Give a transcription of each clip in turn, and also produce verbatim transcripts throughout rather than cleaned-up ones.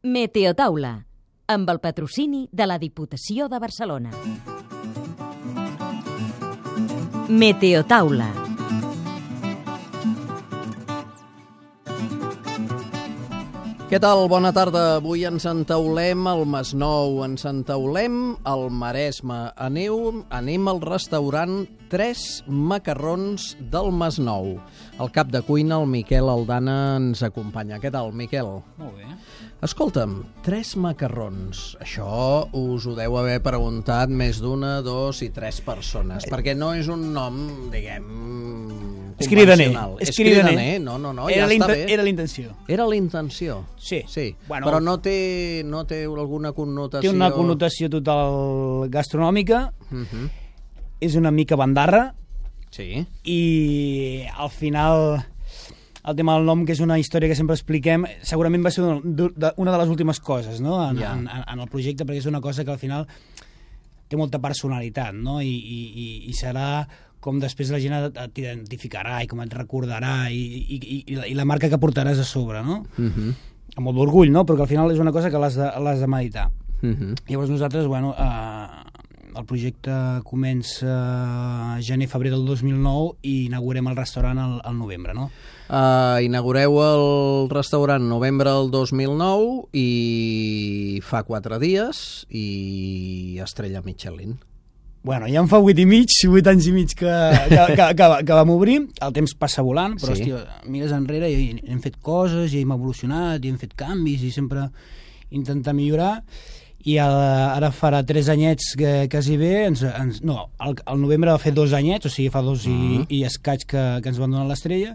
Meteotaula, amb el patrocini de la Diputació de Barcelona. Meteotaula. Què tal? Bona tarda. Avui ens entaulem al Masnou, ens entaulem al Maresme. Aneu, anem al restaurant Tres Macarrons del Masnou. El cap de cuina, el Miquel Aldana, ens acompanya. Què tal, Miquel? Molt bé. Escolta'm, Tres Macarrons. Això us ho deu haver preguntat més d'una, dos i tres persones, perquè no és un nom, diguem, convencional. És cridaner. No, no, no, era ja està bé. Era la intenció. Era la intenció? Sí. Sí. Bueno, però no té, no té alguna connotació... Té una connotació total gastronòmica, uh-huh. És una mica bandarra, sí. I al final... El tema del nom, que és una història que sempre expliquem, segurament va ser una de les últimes coses, no? en, yeah. en, en el projecte, perquè és una cosa que al final té molta personalitat, no? I, i, i serà com després la gent t'identificarà i com et recordarà i, i, i, i la marca que portaràs a sobre, no? Uh-huh. Amb molt d'orgull, no? Però que al final és una cosa que l'has de, l'has de meditar. Uh-huh. Llavors nosaltres, bueno... Eh, el projecte comença gener-febrer del dos mil nou i inaugurem el restaurant al, al novembre, no? Uh, inaugureu el restaurant novembre del dos mil nou i fa quatre dies i estrella Michelin. Bueno, ja en fa vuit i mig, vuit anys i mig que, que, que, que, que vam obrir. El temps passa volant, però sí. Hòstia, mires enrere i hem fet coses, i hem evolucionat, i hem fet canvis, i sempre intentar millorar. I ara farà tres anyets que quasi bé, ens, ens, no, el, el novembre va fer dos anyets, o sigui, fa dos uh-huh. i, i escaig que, que ens van donar l'estrella,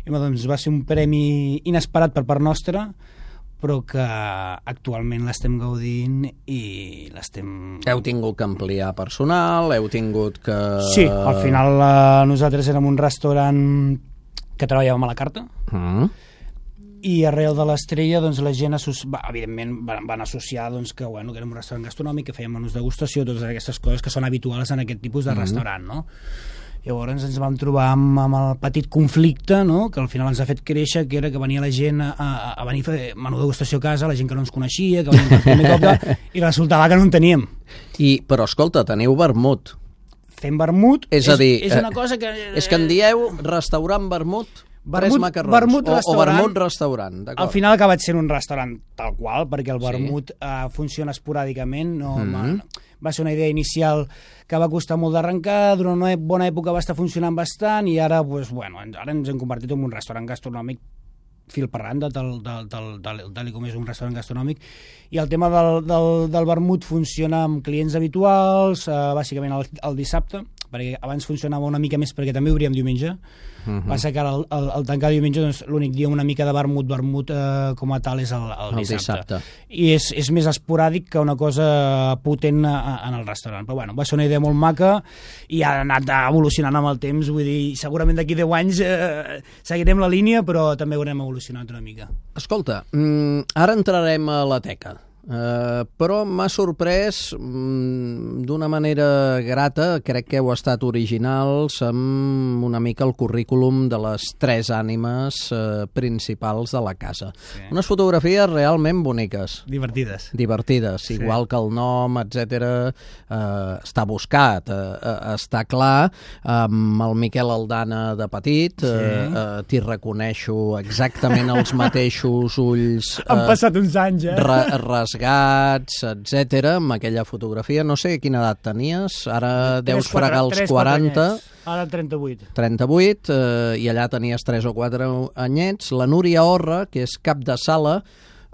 i doncs va ser un premi inesperat per part nostra, però que actualment l'estem gaudint i l'estem... Heu tingut que ampliar personal, heu tingut que... Sí, al final eh, nosaltres érem un restaurant que treballàvem a la carta, uh-huh. I arrel de l'estrella doncs, la gent va, evidentment van, van associar doncs, que, bueno, que érem un restaurant gastronòmic, que fèiem menús degustació, totes aquestes coses que són habituals en aquest tipus de mm-hmm. restaurant, no? Llavors ens vam trobar amb, amb el petit conflicte, no? Que al final ens ha fet créixer, que era que venia la gent a, a, a venir a fer menú degustació a casa, la gent que no ens coneixia, que venia a fer i resultava que no en teníem. I, però escolta, teniu vermut. Fem vermut, és, a dir, és una cosa que... És que en dieu restaurant vermut... Vermut, Tres macarrons, vermut o, restaurant, o vermut restaurant, d'acord. Al final ha acabat sent un restaurant tal qual, perquè el vermut sí. uh, funciona esporàdicament, no, mm-hmm. va, va ser una idea inicial que va costar molt d'arrencar, durant una bona època va estar funcionant bastant, i ara, pues, bueno, ara ens hem convertit en un restaurant gastronòmic fil per randa, tal, tal, tal, tal, tal com és un restaurant gastronòmic, i el tema del, del, del vermut funciona amb clients habituals, uh, bàsicament el, el dissabte, perquè abans funcionava una mica més perquè també obríem diumenge. Uh-huh. Passa que al, al, al tancar diumenge doncs, l'únic dia una mica de vermut, vermut eh, com a tal és el, el, el dissabte. dissabte. I és, és més esporàdic que una cosa potent a, a, en el restaurant. Però bueno, va ser una idea molt maca i ha anat evolucionant amb el temps. Vull dir, segurament d'aquí deu anys eh, seguirem la línia, però també haurem evolucionat una mica. Escolta, mm, ara entrarem a la teca. Uh, però m'ha sorprès mm, d'una manera grata, crec que heu estat originals amb una mica el currículum de les tres ànimes uh, principals de la casa. Sí. Unes fotografies realment boniques. Divertides. Divertides, sí. Igual que el nom, etcètera. Uh, està buscat, uh, uh, està clar. Amb el Miquel Aldana de petit, sí. uh, uh, t'hi reconeixo exactament els mateixos ulls. Uh, Han passat uns anys, eh? Ra rasgats, etcètera, amb aquella fotografia. No sé quina edat tenies, ara deus fregar els quaranta. Ara trenta-vuit. trenta-vuit, eh, i allà tenies tres o quatre anyets. La Núria Orra, que és cap de sala,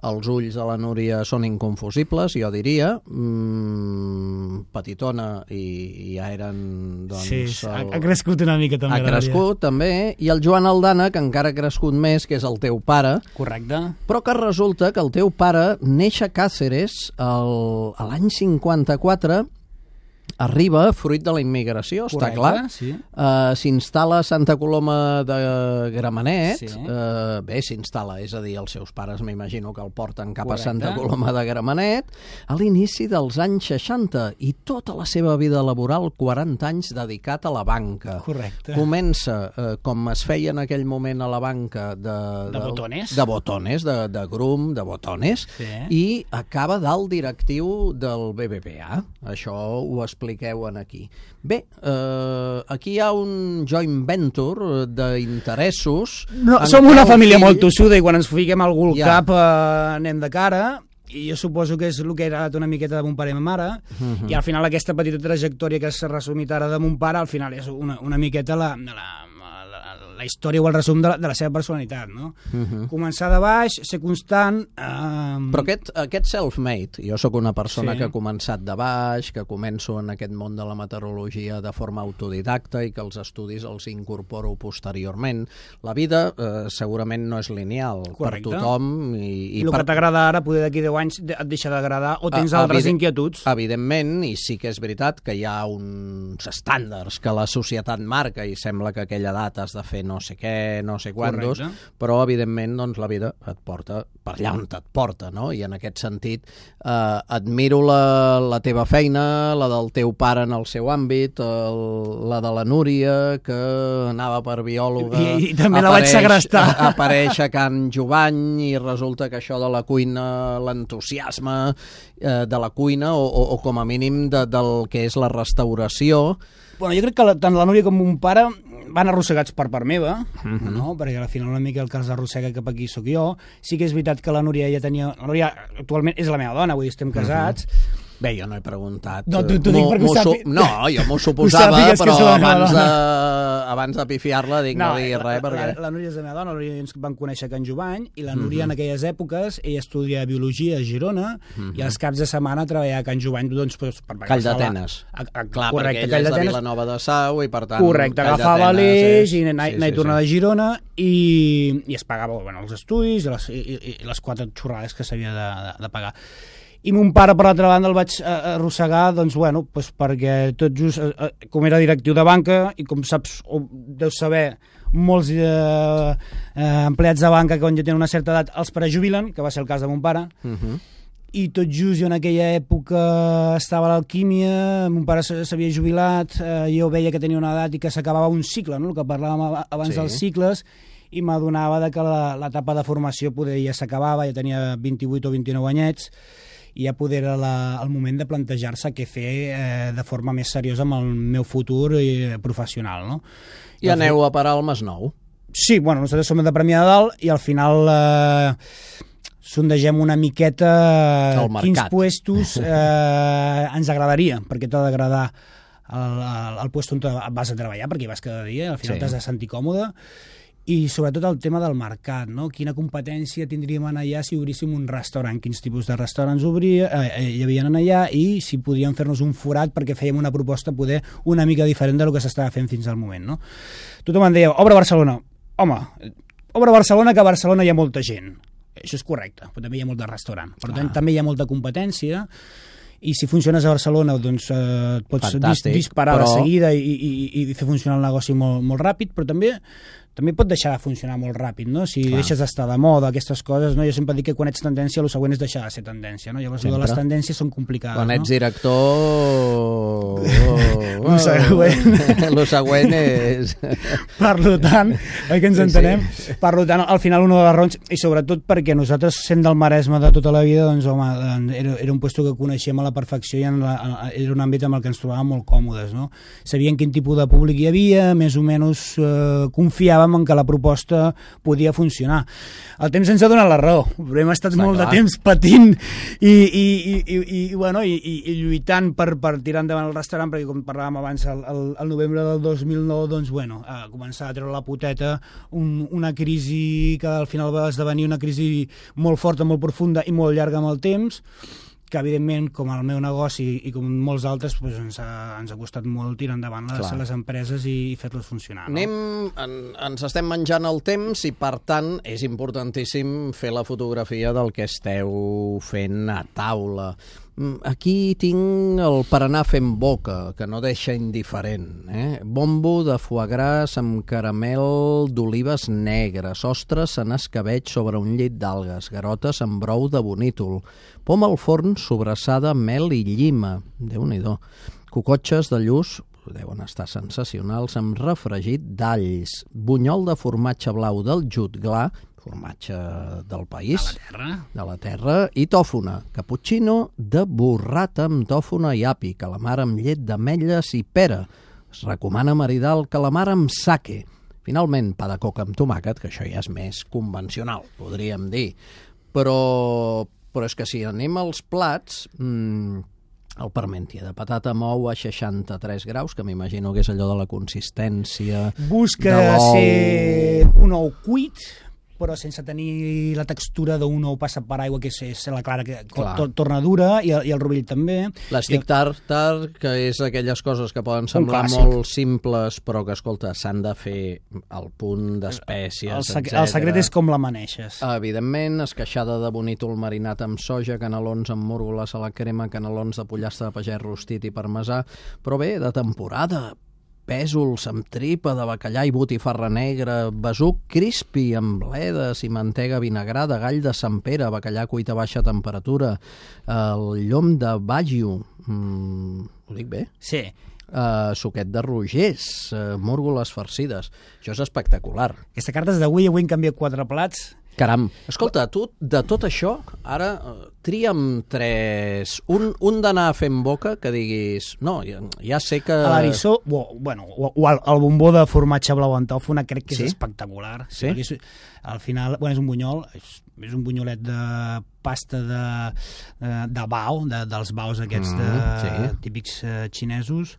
els ulls de la Núria són inconfusibles, jo diria, mm, petitona, i, i ja eren... Doncs, sí, el... ha crescut una mica també. Ha crescut també, i el Joan Aldana, que encara ha crescut més, que és el teu pare. Correcte. Però que resulta que el teu pare neix a Càceres el, l'any cinquanta-quatre, arriba fruit de la immigració, Correcte, està clar. Sí. Uh, s'instal·la a Santa Coloma de Gramenet. Sí. Uh, bé, s'instal·la, és a dir, els seus pares m'imagino que el porten cap Correcte. a Santa Coloma de Gramenet a l'inici dels anys seixanta i tota la seva vida laboral, quaranta anys dedicat a la banca. Correcte. Comença, uh, com es feia en aquell moment a la banca, de, De botones. de botones, de, de grum, de botones, Sí. i acaba dalt directiu del B B V A. Això ho expliqueu en aquí. Bé, eh, aquí hi ha un joint venture d'interessos. No, en som què una el família fill- molt tossuda i quan ens fiquem algú al Ja. cap eh, anem de cara, i jo suposo que és el que era una miqueta de mon pare i ma mare, Mhm. i al final aquesta petita trajectòria que s'ha resumit ara de mon pare, al final és una, una miqueta la, la, la, la història o el resum de la, de la seva personalitat, no? Mhm. Començar de baix, ser constant... Eh, Però aquest, aquest self-made, jo sóc una persona Sí. que ha començat de baix, que començo en aquest món de la meteorologia de forma autodidacta i que els estudis els incorporo posteriorment. La vida eh, segurament no és lineal Correcte. per tothom. I, I el per... que t'agrada ara, poder d'aquí deu anys et deixa d'agradar o tens Ah, altres evident- inquietuds. Evidentment, i sí que és veritat que hi ha uns estàndards que la societat marca i sembla que a aquella edat has de fer no sé què, no sé quantos, Correcte. però evidentment doncs, la vida et porta per allà on et porta, no? I en aquest sentit eh, admiro la, la teva feina, la del teu pare en el seu àmbit, el, la de la Núria, que anava per biòloga... I- i també la vaig segrestar. Apareix a Can Jovany i resulta que això de la cuina, l'entusiasme eh, de la cuina o, o, o com a mínim de, del que és la restauració. Bueno, jo crec que la, tant la Núria com mon pare van arrossegats per part meva, Mhm. no? Perquè al final una mica el que els arrossega cap aquí sóc jo. Sí que és veritat que la Núria ja tenia... La Núria actualment és la meva dona, vull dir, estem casats. Bé, jo no he preguntat. No, t'ho- t'ho eh, dic m'ho- perquè ho m'ho sàpi- No, jo m'ho suposava, sàpigues que però és la meva abans de, dona. abans de pifiar-la dic no, no dir res, la, perquè... la, la Núria és la meva dona, la Núria ens van conèixer a Can Jovany, i la Mhm. Núria en aquelles èpoques, ella estudia Biologia a Girona, i als caps de setmana treballava a Can Jovany, doncs, pues, per Call agafar la- d'Atenes. a- a- Clar, correcte, perquè ella Call és de d'Atenes. Vilanova de Sau i, per tant... Correcte, Call agafava d'Atenes l'eix és- i anar sí, sí, sí, tornar sí. de Girona i, i es pagava bueno, els estudis i les, i, i, i les quatre xorrades que s'havia de, de, de pagar. I mon pare, per l'altra banda, el vaig eh, arrossegar, doncs, bueno, doncs perquè tot just, eh, eh, com era directiu de banca, i com saps, o deus saber, molts eh, eh, empleats de banca que quan ja tenen una certa edat els prejubilen, que va ser el cas de mon pare, Mhm. i tot just jo en aquella època estava a l'alquímia, mon pare s'havia jubilat, eh, jo veia que tenia una edat i que s'acabava un cicle, no? El que parlàvem ab- abans Sí. dels cicles, i m'adonava de que la- l'etapa de formació poder ja s'acabava, ja tenia vint-i-vuit o vint-i-nou anyets, i ja poder era la, el moment de plantejar-se què fer eh, de forma més seriosa amb el meu futur eh, professional, no? I aneu a parar al Masnou. Sí, bueno, nosaltres som de Premià de Dalt i al final eh, sondegem una miqueta El mercat. quins puestos eh, ens agradaria, perquè t'ha d'agradar el, el, el puesto on te vas a treballar, perquè hi vas cada dia, al final Sí. t'has de sentir còmode, i sobretot el tema del mercat, no? Quina competència tindríem en allà si obríssim un restaurant, quins tipus de restaurants obria, eh, hi havia en allà, i si podíem fer-nos un forat perquè fèiem una proposta poder una mica diferent del que s'estava fent fins al moment, no? Tothom em deia, obre a Barcelona. Home, obre a Barcelona, que a Barcelona hi ha molta gent. Això és correcte, però també hi ha molt de restaurant. Per tant, també hi ha molta competència, i si funciones a Barcelona doncs eh, et pots dis Fantàstic, disparar però- de seguida i, i, i fer funcionar el negoci molt, molt ràpid, però també també pot deixar de funcionar molt ràpid, no? Si Clar. deixes d'estar de moda, aquestes coses, no? Jo sempre dic que quan ets tendència, el següent és deixar de ser tendència, no? Llavors, Sempre. les tendències són complicades, Quan no? ets director... Oh, Lo següent. Lo següent és... Per tant, oi que ens Sí, entenem? sí. Per tant, al final un de les raons, i sobretot perquè nosaltres, sent del Maresme de tota la vida, doncs, home, doncs, era, era un lloc que coneixíem a la perfecció i en la, era un àmbit amb el que ens trobàvem molt còmodes, no? Sabíem quin tipus de públic hi havia, més o menys eh, confiàvem en que la proposta podia funcionar. El temps ens ha donat la raó, però hem estat Està molt clar. de temps patint i, i, i, i, i, bueno, i, i, i lluitant per, per tirar endavant el restaurant, perquè com parlàvem abans, el, el, el novembre del dos mil nou, doncs, bueno, a començar a treure la poteta, un, una crisi que al final va esdevenir una crisi molt forta, molt profunda i molt llarga amb el temps, que evidentment, com el meu negoci i com molts altres, doncs ens, ha, ens ha costat molt tirar endavant les, Clar. les empreses i, i fer-les funcionar. No? Anem, en, ens estem menjant el temps i, per tant, és importantíssim fer la fotografia del que esteu fent a taula. Aquí tinc el per anar fent boca, que no deixa indiferent. Eh? Bombo de foie gras amb caramel d'olives negres, ostres en escabeig sobre un llit d'algues, garotes amb brou de bonítol, pom al forn sobrassada, mel i llima, Déu-n'hi-do, cocotxes de lluç, deuen estar sensacionals, amb refregit d'alls, bunyol de formatge blau del Jutglar, formatge del país, de la terra, de la terra i tòfona, cappuccino de burrata amb tòfona i api, calamar amb llet d'ametlles i pera. Es recomana maridar el calamar amb sake. Finalment, pa de coca amb tomàquet, que això ja és més convencional, podríem dir. Però, però és que si anem als plats, mmm, el parmentier de patata amb ou a seixanta-tres graus, que m'imagino que és allò de la consistència busca de l'ou. ser un ou cuit, però sense tenir la textura d'un ou passat per aigua, que és, és la clara que to, torna dura, i el, i el rovell també. L'estic tartar, que és aquelles coses que poden semblar clàssic. molt simples, però que, escolta, s'han de fer al punt d'espècies, el, sec etcètera. El secret és com la maneixes. Evidentment, esqueixada de bonítol marinat amb soja, canelons amb múrgoles a la crema, canelons de pollastre de pagès rostit i parmesà, però bé, de temporada, pèsols amb tripa de bacallà i botifarra negra, besuc crispi amb bledes i mantega vinagrada, gall de Sant Pere, bacallà cuit a baixa temperatura, el llom de Baggio, mm, ho dic bé? Sí. Uh, suquet de rogers, uh, múrgoles farcides. Això és espectacular. Aquesta carta és d'avui, avui en canvia quatre plats. Caram, escolta, tu de tot això, ara uh, tria'm tres, un, un d'anar fent boca que diguis, no, ja, ja sé que... A l'Arissó, o, bueno, o, o el, el bombó de formatge blau en tòfona crec que és sí? espectacular. Sí? És, al final, bueno, és un bunyol, és, és un bunyolet de pasta de, de, de bao, de, dels baus aquests de, mm, sí. típics uh, xinesos,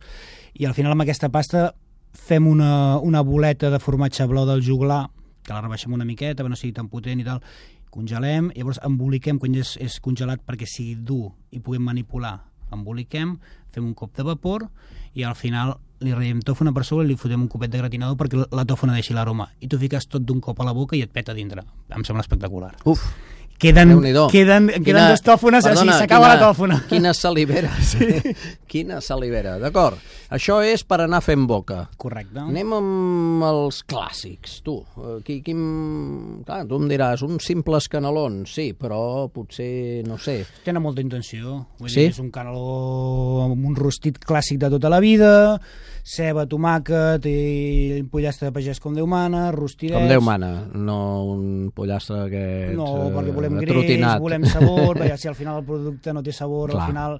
i al final amb aquesta pasta fem una, una boleta de formatge blau del juglar, que la rebaixem una miqueta, que no sigui tan potent i tal, congelem, i llavors emboliquem quan ja és, és congelat perquè sigui dur i puguem manipular. Emboliquem, fem un cop de vapor i al final li ratllem tòfona per sobre i li fotem un copet de gratinador perquè la tòfona deixi l'aroma. I tu fiques tot d'un cop a la boca i et peta dintre. Em sembla espectacular. Uf! Queden, queden, queden quina, dos tòfones, perdona, així s'acaba la tòfona. Quina salivera. Sí. Quina salivera. D'acord. Això és per anar fent boca. Correcte. Anem amb els clàssics, tu. Qui, quin... Clar, tu em diràs, uns simples canelons, sí, però potser, no sé... Tenen molta intenció. Vull sí? dir, és un caneló amb un rostit clàssic de tota la vida, ceba, tomàquet i pollastre de pagès com Déu mana, rostidets... Com Déu mana, no un pollastre aquest no, perquè volem greix, trotinat. Volem sabor, perquè si al final el producte no té sabor, clar. Al final,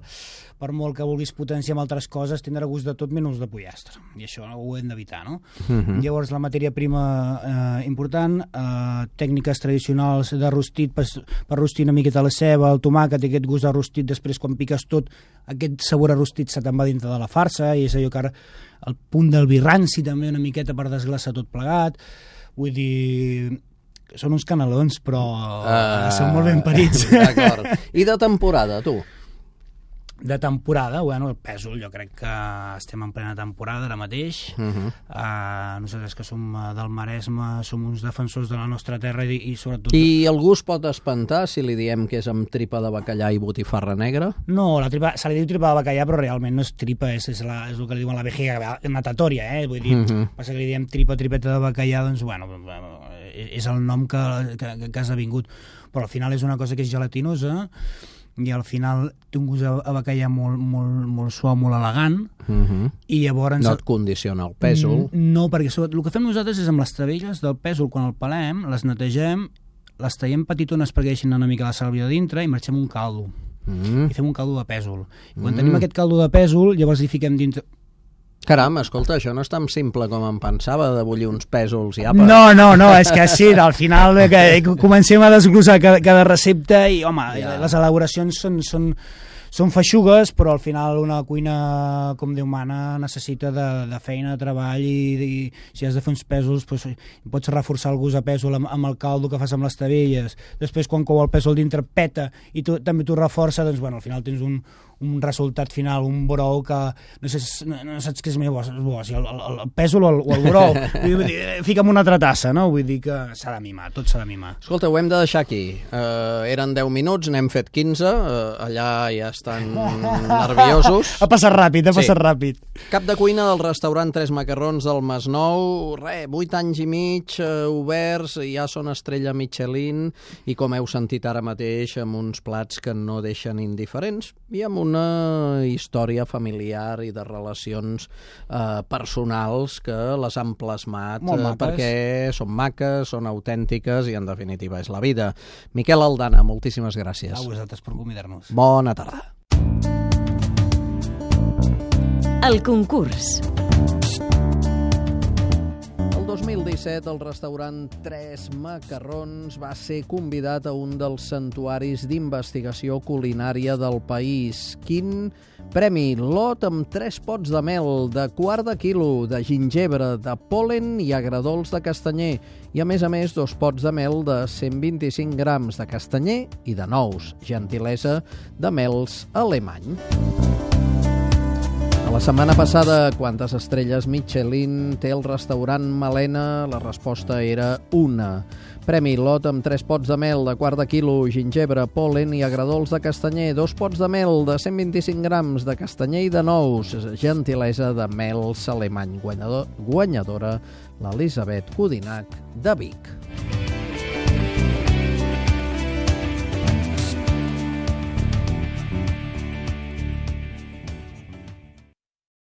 per molt que vulguis potenciar amb altres coses, tindrà gust de tot menys de pollastre. I això ho hem d'evitar, no? Uh-huh. Llavors, la matèria prima eh, important, eh, tècniques tradicionals de rostit, per, per rostir una miqueta la ceba, el tomàquet i aquest gust de rostit, després quan piques tot, aquest sabor a rostit se te'n va dintre de la farsa, i és allò que ara el punt del vi ranci també una miqueta per desglaçar tot plegat. Vull dir... Són uns canelons, però uh, són molt ben parits. D'acord. I de temporada, tu? De temporada, bueno, el pèsol, jo crec que estem en plena temporada ara mateix. Uh-huh. uh, nosaltres que som del Maresme som uns defensors de la nostra terra i, i sobretot... I algú es pot espantar si li diem que és amb tripa de bacallà i botifarra negra? No, la tripa, se li diu tripa de bacallà, però realment no és tripa, és, és, la, és el que li diuen la vejiga natatòria, eh? Vull dir, uh-huh. passa que li diem tripa, tripeta de bacallà, doncs, bueno, és el nom que, que, que has vingut. Però al final és una cosa que és gelatinosa, i al final té un gust a bacallà molt, molt, molt suau, molt elegant, uh-huh. i llavors... No et condiciona el pèsol. No, perquè el que fem nosaltres és amb les tavelles del pèsol, quan el pelem, les netegem, les tallem petitones perquè deixin una mica la sàlvia de dintre i marxem un caldo. Uh-huh. I fem un caldo de pèsol. I quan uh-huh. tenim aquest caldo de pèsol, llavors li fiquem dintre... Caram, escolta, això no és tan simple com em pensava, de bullir uns pèsols i apa. No, no, no, és que sí, al final que comencem a desglossar cada, cada recepta i, home, ja. les elaboracions són, són, són feixugues, però al final una cuina, com Déu mana, necessita de, de feina, de treball, i, i si has de fer uns pèsols, doncs, pots reforçar el gust a pèsol amb, amb el caldo que fas amb les tavelles. Després, quan cou el pèsol dintre, peta, i tu, també t'ho reforça, doncs, bueno, al final tens un, un resultat final, un brou que no, sé, no, no saps què és més bo, bo si el, el, el pèsol o el, o el brou. Vull dir, fica'm una altra tassa, no? Vull dir que s'ha de mimar, tot s'ha de mimar. Escolta, ho hem de deixar aquí. Uh, eren deu minuts, n'hem fet quinze, uh, allà ja estan nerviosos. Ha passat ràpid, ha Sí. passat ràpid. Cap de cuina del restaurant Tres Macarrons del Masnou, re, vuit anys i mig uh, oberts, ja són estrella Michelin i com heu sentit ara mateix amb uns plats que no deixen indiferents i amb una història familiar i de relacions eh, personals que les han plasmat eh, perquè són maques, són autèntiques i en definitiva és la vida. Miquel Aldana, moltíssimes gràcies. A vosaltres per convidar-nos. Bona tarda. El concurs. El dos mil disset, el restaurant Tres Macarrons va ser convidat a un dels santuaris d'investigació culinària del país. Quin premi? Lot amb tres pots de mel, de quart de quilo, de gingebre, de pol·len i agradols de castanyer. I, a més a més, dos pots de mel de cent vint-i-cinc grams de castanyer i de nous. Gentilesa de Mels Alemany. A la setmana passada, quantes estrelles Michelin té el restaurant Malena? La resposta era una. Premi Lot amb tres pots de mel de quart de quilo, gingebre, pol·len i agradols de castanyer, dos pots de mel de cent vint-i-cinc grams de castanyer i de nous, gentilesa de Mels Alemany. Guanyador, guanyadora l'Elisabet Codinac de Vic.